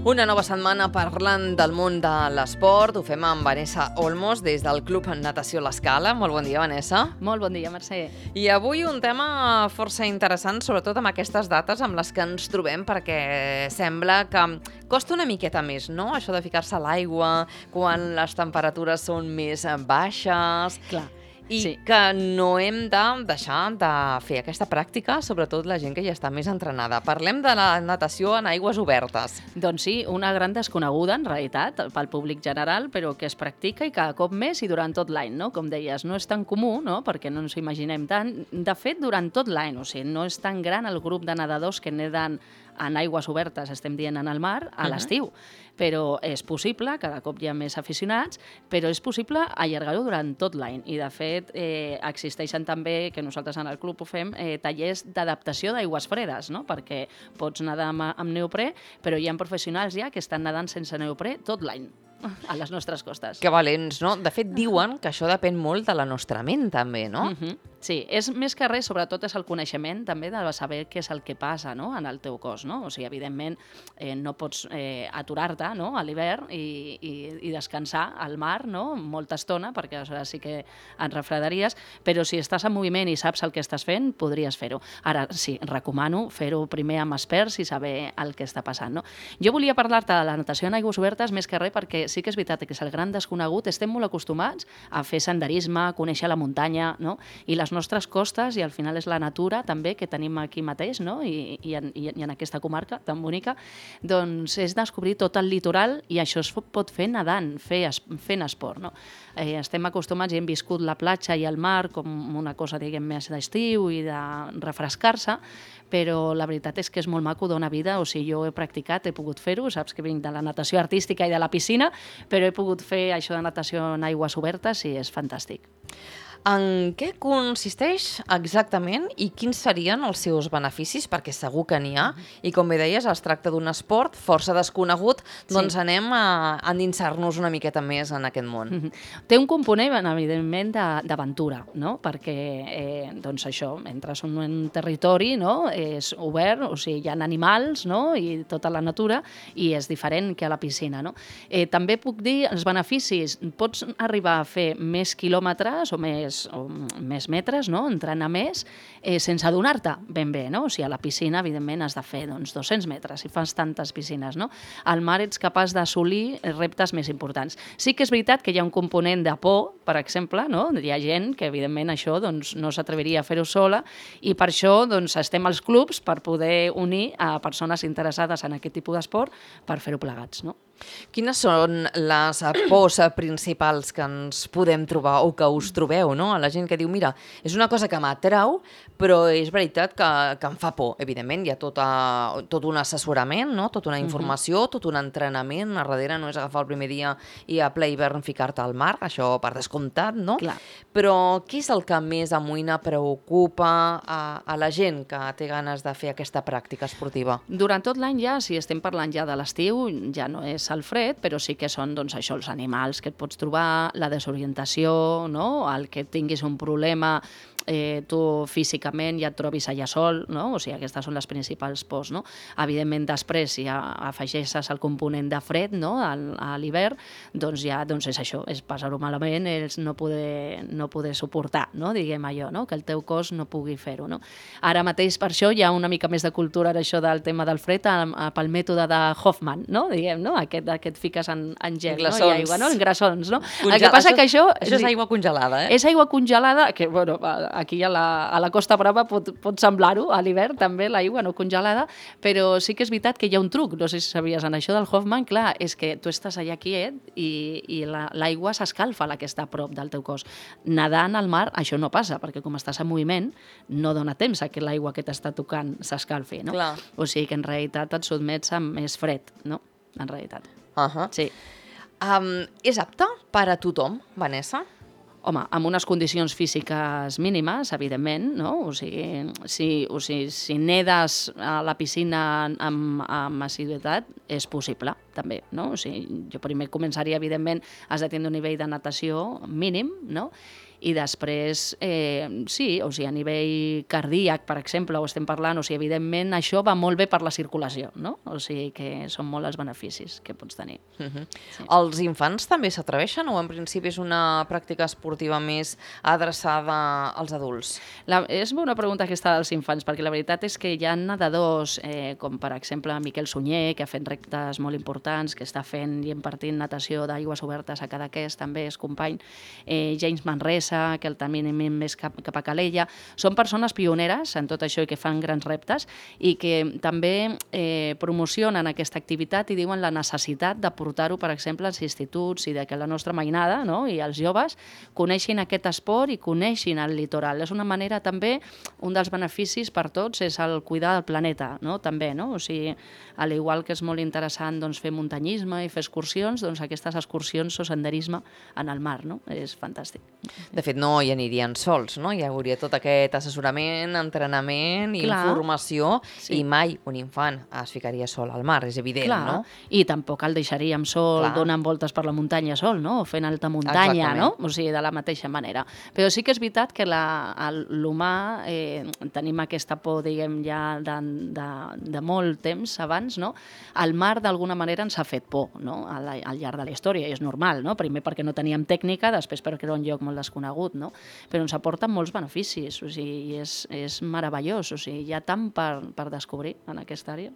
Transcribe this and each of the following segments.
Una nova setmana parlant del món de l'esport. Ho fem amb Vanessa Olmos des del Club Natació L'Escala. Molt bon dia, Vanessa. Molt bon dia, Mercè. I avui un tema força interessant, sobretot amb aquestes dates amb les que ens trobem, perquè sembla que costa una miqueta més, no?, això de ficar-se a l'aigua quan les temperatures són més baixes. Clar. I sí. que no hem de deixar de fer aquesta pràctica, sobretot la gent que ja està més entrenada. Parlem de la natació en aigües obertes. Doncs sí, una gran desconeguda, en realitat, pel públic general, però que es practica i cada cop més i durant tot l'any, no? Com deies, no és tan comú, no?, perquè no ens ho imaginem tant. De fet, durant tot l'any, o sigui, no és tan gran el grup de nedadors que neden en aigües obertes, estem dient en el mar, a l'estiu. Però és possible, cada cop hi ha més aficionats, però és possible allargar-ho durant tot l'any. I, de fet, existeixen també, que nosaltres en el club ho fem, tallers d'adaptació d'aigües fredes, no?, perquè pots nedar amb neoprè, però hi ha professionals ja que estan nedant sense neoprè tot l'any a les nostres costes. Que valents, no? De fet, diuen que això depèn molt de la nostra ment, també, no? Sí, és més que res, sobretot és el coneixement també de saber què és el que passa, no?, en el teu cos, no? O sigui, evidentment, no pots aturar-te, no?, a l'hivern i descansar al mar, no?, molta estona, perquè aleshores sí que et refredaries, però si estàs en moviment i saps el que estàs fent, podries fer-ho. Ara, sí, recomano fer-ho primer amb experts i saber el que està passant, no? Jo volia parlar-te de la natació en aigües obertes més que res perquè sí que és veritat que és el gran desconegut. Estem molt acostumats a fer senderisme, a conèixer la muntanya, no?, i les nostres costes, i al final és la natura també que tenim aquí mateix, no?, i en aquesta comarca tan bonica, doncs és descobrir tot el litoral, i això es pot fer nedant, fent esport, no? Estem acostumats i hem viscut la platja i el mar com una cosa, diguem, més d'estiu i de refrescar-se, però la veritat és que és molt maco, dona vida. O sigui, jo he practicat, he pogut fer-ho, saps que vinc de la natació artística i de la piscina, però he pogut fer això de natació en aigües obertes i és fantàstic. En què consisteix exactament i quins serien els seus beneficis? Perquè segur que n'hi ha, i com bé deies, es tracta d'un esport força desconegut, doncs anem a endinsar-nos una miqueta més en aquest món. Té un component, evidentment, d'aventura, no?, perquè, doncs això, entres en un territori, no?, és obert, o sigui, hi ha animals, no?, i tota la natura, i és diferent que a la piscina, no? També puc dir els beneficis. Pots arribar a fer més quilòmetres o més metres, no?, entrenar més, sense adonar-te ben bé, no? O sigui, a la piscina, evidentment, has de fer 200 metres, si fas tantes piscines, no? Al mar ets capaç d'assolir reptes més importants. Sí que és veritat que hi ha un component de por, per exemple, no? Hi ha gent que, evidentment, això doncs, no s'atreviria a fer-ho sola, i per això doncs, estem als clubs per poder unir a persones interessades en aquest tipus d'esport per fer-ho plegats, no? Quines són les pors principals que ens podem trobar o que us trobeu, no? A la gent que diu, mira, és una cosa que m'atrau, però és veritat que em fa por. Evidentment, hi ha tot un assessorament, no?, tota una informació, tot un entrenament. A darrere no és agafar el primer dia i a ple hivern ficar-te al mar, això per descomptat, no? Clar. Però què és el que més amoïna, preocupa a la gent que té ganes de fer aquesta pràctica esportiva? Durant tot l'any ja, si estem parlant ja de l'estiu, ja no és el fred, però sí que són, doncs, això, els animals que et pots trobar, la desorientació, no?, el que tinguis un problema, tu físicament ja et trobis allà sol, no? O sigui, aquestes són les principals pors, no? Evidentment, després, si afegeixes el component de fred, no?, a l'hivern, doncs ja és això, és passar-ho malament, és no poder suportar, no?, diguem allò, no?, que el teu cos no pugui fer-ho, no? Ara mateix, per això, hi ha una mica més de cultura en això del tema del fred, pel mètode de Hoffman, no?, diguem, no?, aquest et fiques en gel, no?, i aigua, no?, en glaçons, no? El que passa que això és aigua congelada, És aigua congelada, que, bueno, aquí a la Costa Brava pot semblar-ho, a l'hivern també l'aigua no congelada, però sí que és veritat que hi ha un truc, no sé si sabies, en això del Hoffman, clar, és que tu estàs allà quiet i l'aigua s'escalfa, la que està a prop del teu cos. Nedant al mar això no passa, perquè com estàs en moviment no dona temps a que l'aigua que t'està tocant s'escalfi, no? Clar. O sigui que en realitat et sotmets a més fred, no?, en realitat. Sí. És apte per a tothom, Vanessa? Home, amb unes condicions físiques mínimes, evidentment, no? O sigui, si nedes a la piscina amb assiduïtat, és possible, també, no? O sigui, jo primer començaria, evidentment, has de tenir un nivell de natació mínim, no? I després, sí, o sigui, a nivell cardíac, per exemple, ho estem parlant, o sigui, evidentment això va molt bé per la circulació, no? O sigui que són molt els beneficis que pots tenir. Sí. Els infants també s'atreveixen o en principi és una pràctica esportiva més adreçada als adults? És una pregunta aquesta dels infants, perquè la veritat és que hi ha nedadors, com per exemple Miquel Sunyer, que ha fet reptes molt importants, que està fent i impartint natació d'aigües obertes a Cadaqués, també és company, James Manresa, que el tenim més cap a Calella. Són persones pioneres en tot això i que fan grans reptes i que també promocionen aquesta activitat i diuen la necessitat de portar-ho, per exemple, als instituts i de que la nostra mainada, no?, i els joves coneixin aquest esport i coneixin el litoral. És una manera també, un dels beneficis per tots és el cuidar del planeta, no?, també, no? O sigui, al igual que és molt interessant doncs, fer muntanyisme i fer excursions, doncs aquestes excursions o senderisme en el mar, no? És fantàstic. De fet, no hi anirien sols, no? Hi hauria tot aquest assessorament, entrenament, informació, i mai un infant es ficaria sol al mar, és evident, no? I tampoc el deixaríem sol donant voltes per la muntanya sol, no? O fent alta muntanya, no? O sigui, de la mateixa manera. Però sí que és veritat que l'humà tenim aquesta por, diguem, ja de molt temps abans, no? El mar, d'alguna manera, ens ha fet por, no?, al llarg de la història, i és normal, no? Primer perquè no teníem tècnica, després perquè era un lloc molt desconegut, no? Però ens aporta molts beneficis, o sigui, és meravellós, o sigui, hi ha tant per descobrir en aquesta àrea.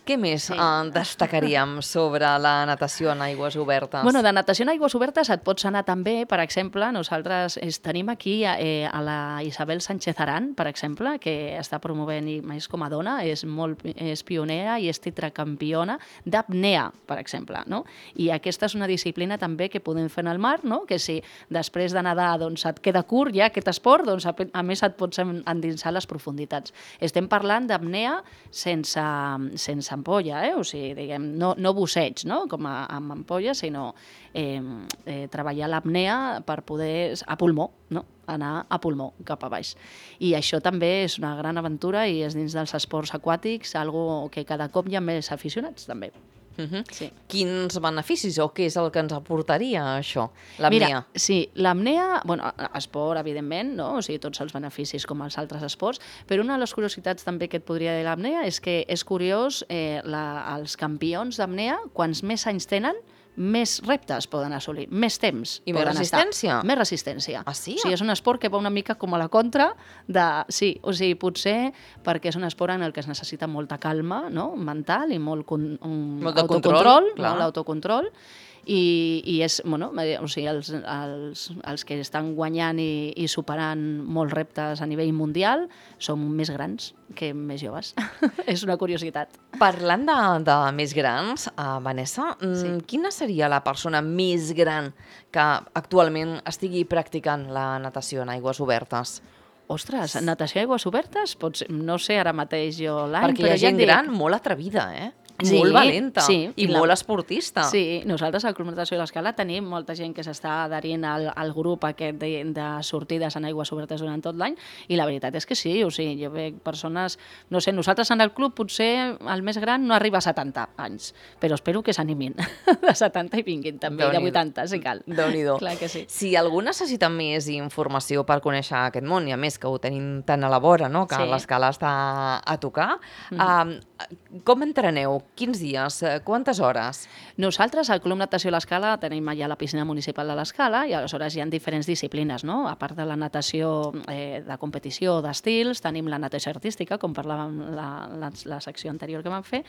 Què més destacaríem sobre la natació en aigües obertes? Bueno, de natació en aigües obertes et pots anar també, per exemple, nosaltres tenim aquí a la Isabel Sánchez Aran, per exemple, que està promovent, i més com a dona, és pionera i és tetracampiona d'apnea, per exemple, no? I aquesta és una disciplina també que podem fer en el mar, no? Que si després de nedar doncs, et queda curt ja aquest esport, doncs a més et pots endinsar les profunditats. Estem parlant d'apnea sense ampolla, o sigui, diguem, no busseig, no?, com amb ampolla, sinó treballar l'apnea per poder, a pulmó, no?, anar a pulmó cap a baix. I això també és una gran aventura i és dins dels esports aquàtics, algo que cada cop hi ha més aficionats, també. Sí. Quins beneficis o què és el que ens aportaria això, l'apnea? Mira, sí, l'apnea, bueno, esport, evidentment, no? O sigui, tots els beneficis com els altres esports, però una de les curiositats també que et podria dir l'apnea és que és curiós, els campions d'apnea, quants més anys tenen, més reptes poden assolir, més temps I més resistència? Més resistència. Ah, sí? O sigui, és un esport que va una mica com a la contra de... Sí, o sigui, potser perquè és un esport en el que es necessita molta calma, no?, mental i molt autocontrol, molt autocontrol, i és, bueno, o sigui, els que estan guanyant i superant molts reptes a nivell mundial són més grans que més joves. És una curiositat. Parlant de més grans, Vanessa, quina seria la persona més gran que actualment estigui practicant la natació en aigües obertes? Ostres, natació a aigües obertes? No sé ara mateix jo l'any, perquè hi ha gent gran molt atrevida, molt valenta i molt esportista. Sí, nosaltres al Club Natació de l'Escala tenim molta gent que s'està adherint al grup aquest de sortides en aigües obertes durant tot l'any, i la veritat és que sí, o sigui, jo veig persones, no sé, nosaltres en el club potser el més gran no arriba a 70 anys, però espero que s'animin de 70 i vinguin també, de 80, si cal. Déu-n'hi-do. Clar que sí. Si algú necessita més informació per conèixer aquest món, i a més que ho tenim tan a la vora, no?, que l'Escala està a tocar, com entreneu? Quins dies? Quantes hores? Nosaltres, al Club Natació a l'Escala, tenim allà la piscina municipal de l'Escala i aleshores hi ha diferents disciplines, no? A part de la natació de competició d'estils, tenim la natació artística, com parlàvem la secció anterior que vam fer,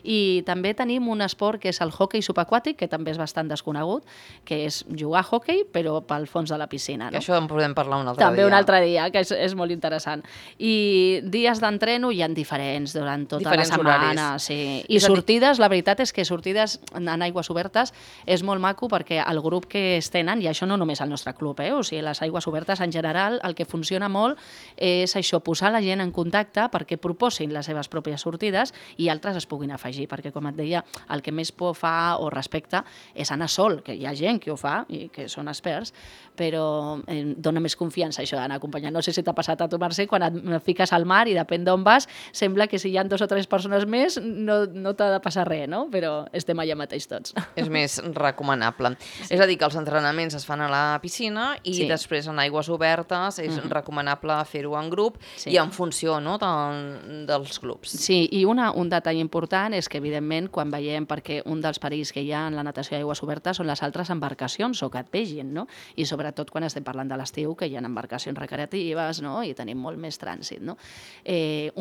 i també tenim un esport que és el hoquei subaquàtic, que també és bastant desconegut, que és jugar a hoquei, però pel fons de la piscina. Que això en podem parlar un altre dia. També un altre dia, que és molt interessant. I dies d'entreno hi ha diferents durant tota la setmana. Sí. I sortides, la veritat és que sortides en aigües obertes és molt maco perquè el grup que es tenen, i això no només al nostre club, o sigui, les aigües obertes en general, el que funciona molt és això, posar la gent en contacte perquè proposin les seves pròpies sortides i altres es puguin afegir, perquè com et deia, el que més por fa o respecta és anar sol, que hi ha gent que ho fa i que són experts, però dona més confiança això d'anar acompanyant. No sé si t'ha passat a tu, Mercè, quan et fiques al mar i depèn d'on vas, sembla que si hi ha 2 o 3 persones més no t'ha de passar res, no? Però estem allà mateix tots. És més recomanable. És a dir, que els entrenaments es fan a la piscina i després en aigües obertes és recomanable fer-ho en grup i en funció, no, dels clubs. Sí, i un detall important és que, evidentment, quan veiem, perquè un dels perills que hi ha en la natació d'aigües obertes són les altres embarcacions o que et vegin, no? I sobretot quan estem parlant de l'estiu, que hi ha embarcacions recreatives, no? I tenim molt més trànsit, no?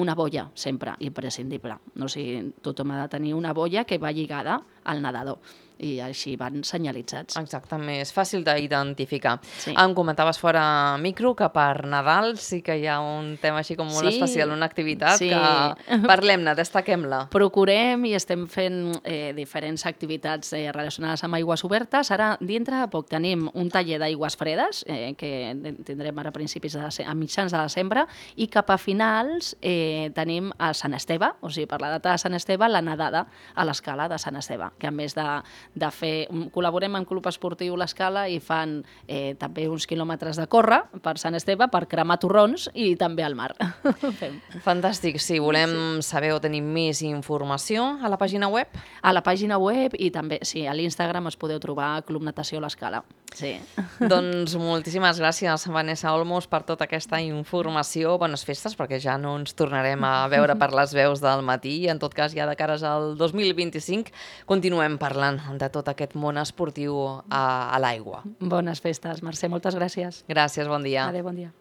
Una boia, sempre, imprescindible. O sigui, tothom ha de tenir una boia que va lligada al nedador i així van senyalitzats. Exacte, més fàcil d'identificar. Em comentaves fora micro que per Nadal sí que hi ha un tema així com molt especial, una activitat que parlem-ne, destaquem-la. Procurem i estem fent diferents activitats relacionades amb aigües obertes. Ara, dintre de poc, tenim un taller d'aigües fredes que tindrem ara a mitjans de desembre i cap a finals tenim a Sant Esteve, o sigui, per la data de Sant Esteve, la nedada a l'escala de Sant Esteve, que a més de fer, col·laborem amb Club Esportiu l'Escala i fan també uns quilòmetres de córrer per Sant Esteve per cremar torrons i també al mar. Fantàstic, si volem saber o tenir més informació a la pàgina web? A la pàgina web i també, sí, a l'Instagram es podeu trobar Club Natació l'Escala. Sí. Doncs moltíssimes gràcies, Vanessa Olmos, per tota aquesta informació. Bones festes, perquè ja no ens tornarem a veure per les veus del matí. En tot cas, ja de cares al 2025 continuem parlant de tot aquest món esportiu a l'aigua. Bones festes, Mercè, moltes gràcies. Gràcies, bon dia. Adéu, bon dia.